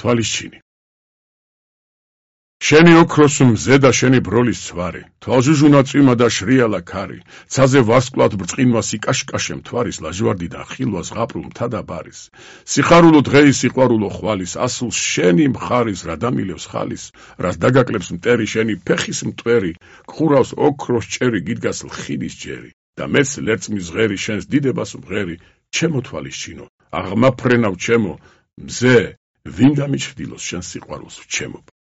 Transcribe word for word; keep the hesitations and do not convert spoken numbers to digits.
თვალისჩინი. შენი ოქროს მზე და შენი ბროლის ცვარი, თვალჟუჟუნა წვიმა და შრიალა ქარი, ცაზე ვარსკვლავად ბრწყინვას იკაშკაშემ თვარის ლაჟვარდიდან ხილვას ღაპრულ მთა და ბარის. სიხარულო დღეის სიყვარულო ხვალის, ასულს შენი მხარის რა დამილევს ხალის, რას დაგაკლებს მტერი შენი ფეხის მტვერი, გხურავს ოქროს ჭერი გიდგას ლხილის ჯერი. და მეც ლერწმის ღერი შენს დიდებას მღერი, ჩემო თვალისჩინო, აღმაფრენავ ჩემო, მზე, ვინ დამიჩრდილოს შენს სიყვარულს ვჩემობ.